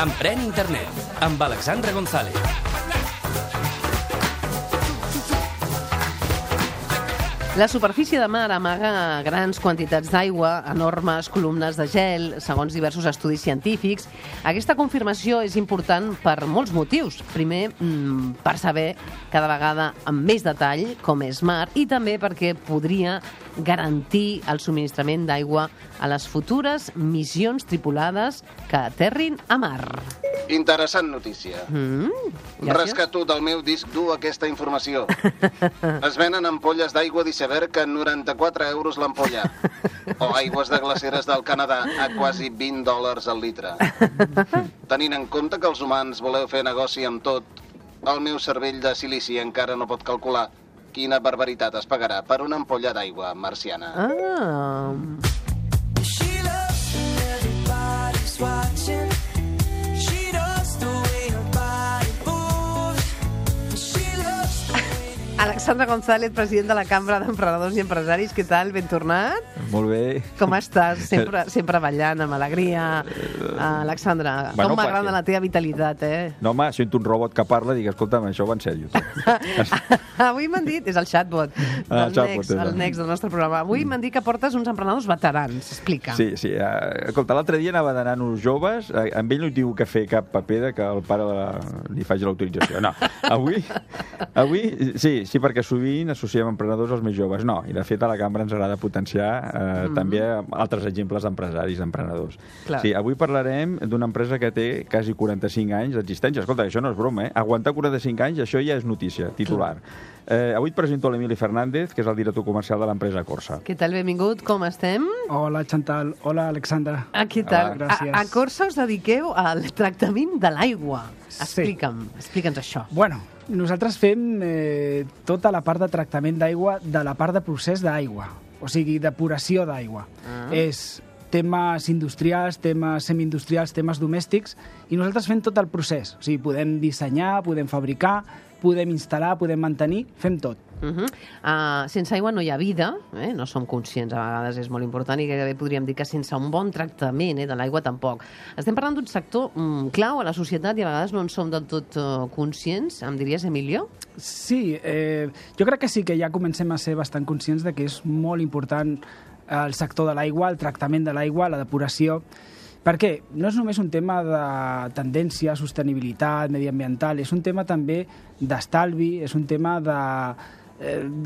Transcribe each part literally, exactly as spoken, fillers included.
Emprèn Internet, amb Alexandra González. La superfície de mar amaga grans quantitats d'aigua, enormes columnes de gel, segons diversos estudis científics. Aquesta confirmació és important per molts motius. Primer, per saber cada vegada amb més detall com és mar i també perquè podria garantir el subministrament d'aigua a les futures missions tripulades que aterrin a mar. Interessant notícia. Mm, Rescatut, el meu disc du aquesta informació. Es venen ampolles d'aigua d'iceberg a noranta-quatre euros l'ampolla. O aigües de glaceres del Canadà a quasi vint dòlars al litre. Tenint en compte que els humans voleu fer negoci amb tot, el meu cervell de silici encara no pot calcular quina barbaritat es pagarà per una ampolla d'aigua marciana. Ah... Alexandra González, president de la Cambra d'Emprenedors i Empresaris. Què tal? Ben tornat? Molt bé. Com estàs? Sempre, sempre ballant, amb alegria. Uh, Alexandra, bueno, com m'agrada perquè... la teva vitalitat, eh? No, home, sento un robot que parla i dic, escolta'm, això va en sèrio. Avui m'han dit, és el chatbot, Ah, el, chatbot, Next, el Next del nostre programa. Avui m'han dit que portes uns emprenedors veterans. Explica. Sí, sí. Uh, escolta, l'altre dia anava de nanos joves, uh, amb ell no hi diu que fer cap paper de que el pare de la... li faci l'autorització. No, avui, avui sí, sí, perquè sovint associem emprenedors als més joves. No, i de fet a la cambra ens agrada potenciar eh, mm-hmm. també altres exemples d'empresaris, d'emprenedors. Clar. Sí, avui parlarem d'una empresa que té quasi quaranta-cinc anys d'existència. Escolta, això no és broma, eh? Aguantar quaranta-cinc anys, això ja és notícia, titular. Eh, avui et presento l'Emili Fernández, que és el director comercial de l'empresa Corsa. Què tal? Benvingut, com estem? Hola, Chantal. Hola, Alexandra. Ah, què tal? Hola, gràcies. A, a Corsa us dediqueu al tractament de l'aigua. Explica'm, sí. explica'ns això. Bueno, nosaltres fem eh, tota la part de tractament d'aigua de la part de procés d'aigua, o sigui, depuració d'aigua. Ah. És temes industrials, temes semiindustrials, temes domèstics, i nosaltres fem tot el procés. O sigui, podem dissenyar, podem fabricar, podem instal·lar, podem mantenir, fem tot. Uh-huh. uh, sense aigua no hi ha vida, eh? No som conscients, a vegades és molt important, i gairebé podríem dir que sense un bon tractament eh, de l'aigua tampoc. Estem parlant d'un sector mm, clau a la societat i a vegades no en som del tot uh, conscients, em diries, Emilio? Sí, eh, jo crec que sí que ja comencem a ser bastant conscients de que és molt important el sector de l'aigua, el tractament de l'aigua, la depuració, perquè no és només un tema de tendència, sostenibilitat, mediambiental, és un tema també d'estalvi, és un tema de,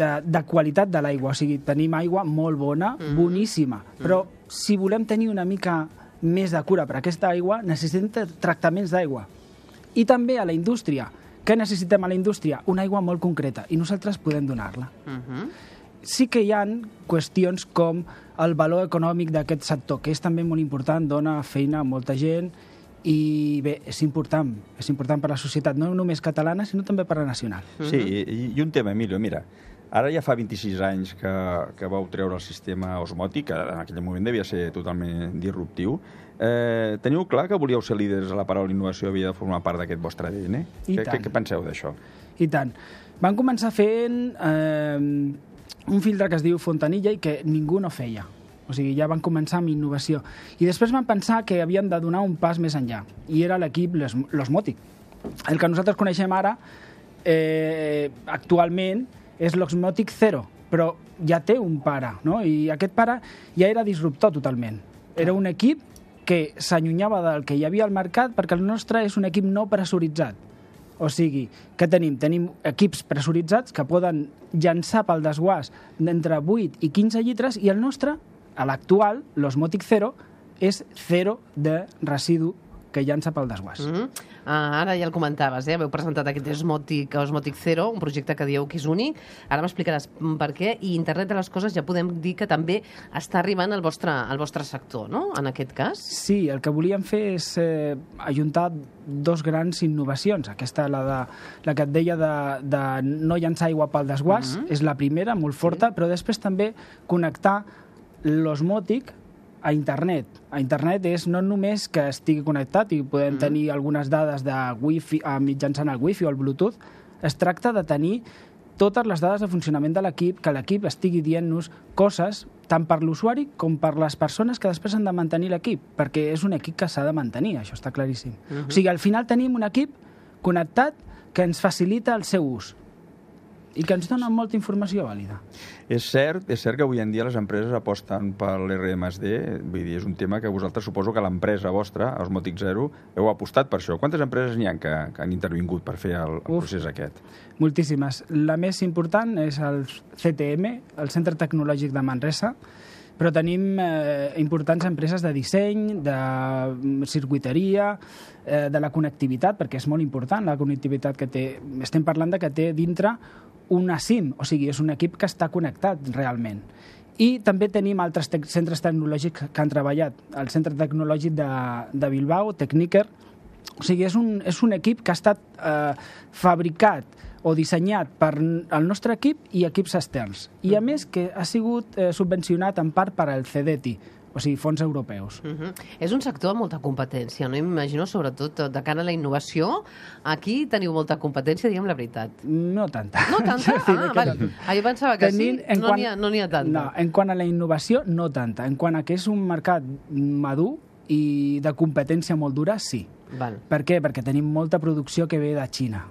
de, de qualitat de l'aigua. O sigui, tenim aigua molt bona, mm. boníssima, però si volem tenir una mica més de cura per aquesta aigua, necessitem tractaments d'aigua. I també a la indústria. Què necessitem a la indústria? Una aigua molt concreta, i nosaltres podem donar-la. Mm-hmm. Sí que hi ha qüestions com el valor econòmic d'aquest sector, que és també molt important, dona feina a molta gent, i bé, és important, és important per a la societat, no només catalana, sinó també per a la nacional. Sí, i, i un tema, Emilio, mira, ara ja fa vint-i-sis anys que, que vau treure el sistema osmòtic, que en aquell moment devia ser totalment disruptiu. Eh, teniu clar que volíeu ser líders a la paraula innovació, havia de formar part d'aquest vostre A D N? I què, tant. Què, què penseu d'això? I tant. Van començar fent eh, un filtre que es diu Fontanilla i que ningú no feia. O sigui, ja van començar amb innovació. I després van pensar que havien de donar un pas més enllà. I era l'equip l'Osmòtic. El que nosaltres coneixem ara, eh, actualment, és l'Osmòtic Zero, però ja té un pare, no? I aquest pare ja era disruptor totalment. Era un equip que s'allunyava del que hi havia al mercat perquè el nostre és un equip no pressuritzat. O sigui, què tenim? Tenim equips pressuritzats que poden llançar pel desguàs d'entre vuit i quinze litres i el nostre, a l'actual, l'Osmòtic Zero, és zero de residu que llança pel desguàs. Mm-hmm. Ah, ara ja el comentaves, eh? Heu presentat aquest Osmòtic, Osmòtic Zero, un projecte que dieu que és únic. Ara m'explicaràs per què. I Internet de les Coses ja podem dir que també està arribant al vostre, al vostre sector, no?, en aquest cas. Sí, el que volíem fer és eh, ajuntar dos grans innovacions. Aquesta, la, de, la que et deia de, de no llançar aigua pel desguàs, mm-hmm. és la primera, molt forta, sí. Però després també connectar l'osmòtic a internet. A internet és no només que estigui connectat i podem mm. tenir algunes dades de wifi, mitjançant el wifi o el bluetooth, es tracta de tenir totes les dades de funcionament de l'equip, que l'equip estigui dient-nos coses tant per l'usuari com per les persones que després han de mantenir l'equip, perquè és un equip que s'ha de mantenir, això està claríssim. Uh-huh. O sigui, al final tenim un equip connectat que ens facilita el seu ús i que ens dona molta informació vàlida. És cert, és cert que avui en dia les empreses aposten per l'R més D, vull dir, és un tema que vosaltres suposo que l'empresa vostra, Osmotic Zero, heu apostat per això. Quantes empreses n'hi ha que, que han intervingut per fer el, el procés aquest? Moltíssimes. La més important és el C T M, el Centre Tecnològic de Manresa, però tenim eh, importants empreses de disseny, de circuiteria, eh, de la connectivitat, perquè és molt important la connectivitat que té. Estem parlant de que té dintre una SIM, o sigui, és un equip que està connectat realment. I també tenim altres te centres tecnològics que han treballat. El Centre Tecnològic de, de Bilbao, Tecniker, o sigui, és un, és un equip que ha estat eh, fabricat o dissenyat per el nostre equip i equips externs. I a més que ha sigut eh, subvencionat en part per al CEDETI, o sigui, fons europeus. Uh-huh. És un sector amb molta competència, no? M'imagino, sobretot, de cara a la innovació, aquí teniu molta competència, diguem la veritat. No tanta. No tanta? Ah, vale. Ah, jo pensava que Tenim, sí, no n'hi ha, no ha tanta. No, en quant a la innovació, no tanta. En quant a que és un mercat madur i de competència molt dura, sí. Val. Per què? Perquè tenim molta producció que ve de Xina.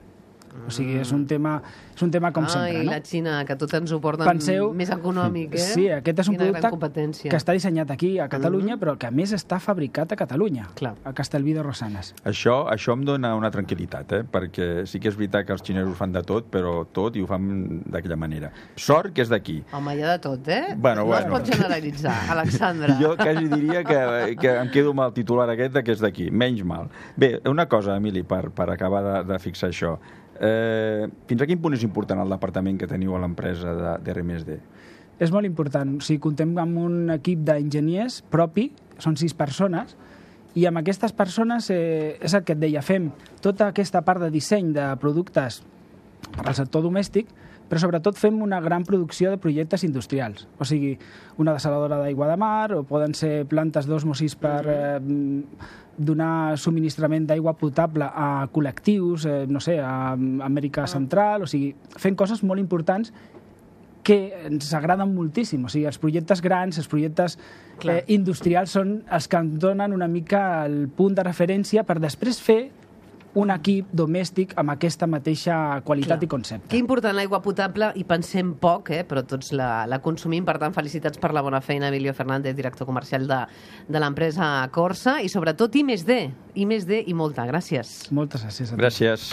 O sigui, és un tema, és un tema com Ai, sempre, no? Ai, la Xina, que tot ens ho porten Penseu, més econòmic, eh? Sí, aquest és un Quina producte que està dissenyat aquí a Catalunya, mm-hmm. però que a més està fabricat a Catalunya, Clar. a Castellví de Rosanes. Això, això em dona una tranquil·litat, eh? Perquè sí que és veritat que els xinesos fan de tot, però tot i ho fan d'aquella manera. Sort que és d'aquí. Home, hi ha de tot, eh? Bueno, no bueno. es pot generalitzar, Alexandra. Jo quasi diria que, que em quedo amb el titular aquest de que és d'aquí, menys mal. Bé, una cosa, Emili, per, per acabar de, de fixar això. Eh, fins a quin punt és important el departament que teniu a l'empresa d'R més D? És molt important. O sigui, comptem amb un equip d'enginyers propi, són sis persones, i amb aquestes persones, eh, és el que et deia, fem tota aquesta part de disseny de productes per al sector domèstic, però sobretot fem una gran producció de projectes industrials. O sigui, una dessaladora d'aigua de mar, o poden ser plantes d'osmosis per eh, donar subministrament d'aigua potable a col·lectius, eh, no sé, a Amèrica Central, o sigui, fent coses molt importants que ens agraden moltíssim. O sigui, els projectes grans, els projectes eh, industrials són els que ens donen una mica el punt de referència per després fer un equip domèstic amb aquesta mateixa qualitat Clar. I concepte. Que important l'aigua potable, i pensem poc, eh, però tots la, la consumim. Per tant, felicitats per la bona feina, Emilio Fernández, director comercial de, de l'empresa Corsa, i sobretot I més D, I més D i molta. Gràcies. Moltes gràcies a tu. Gràcies.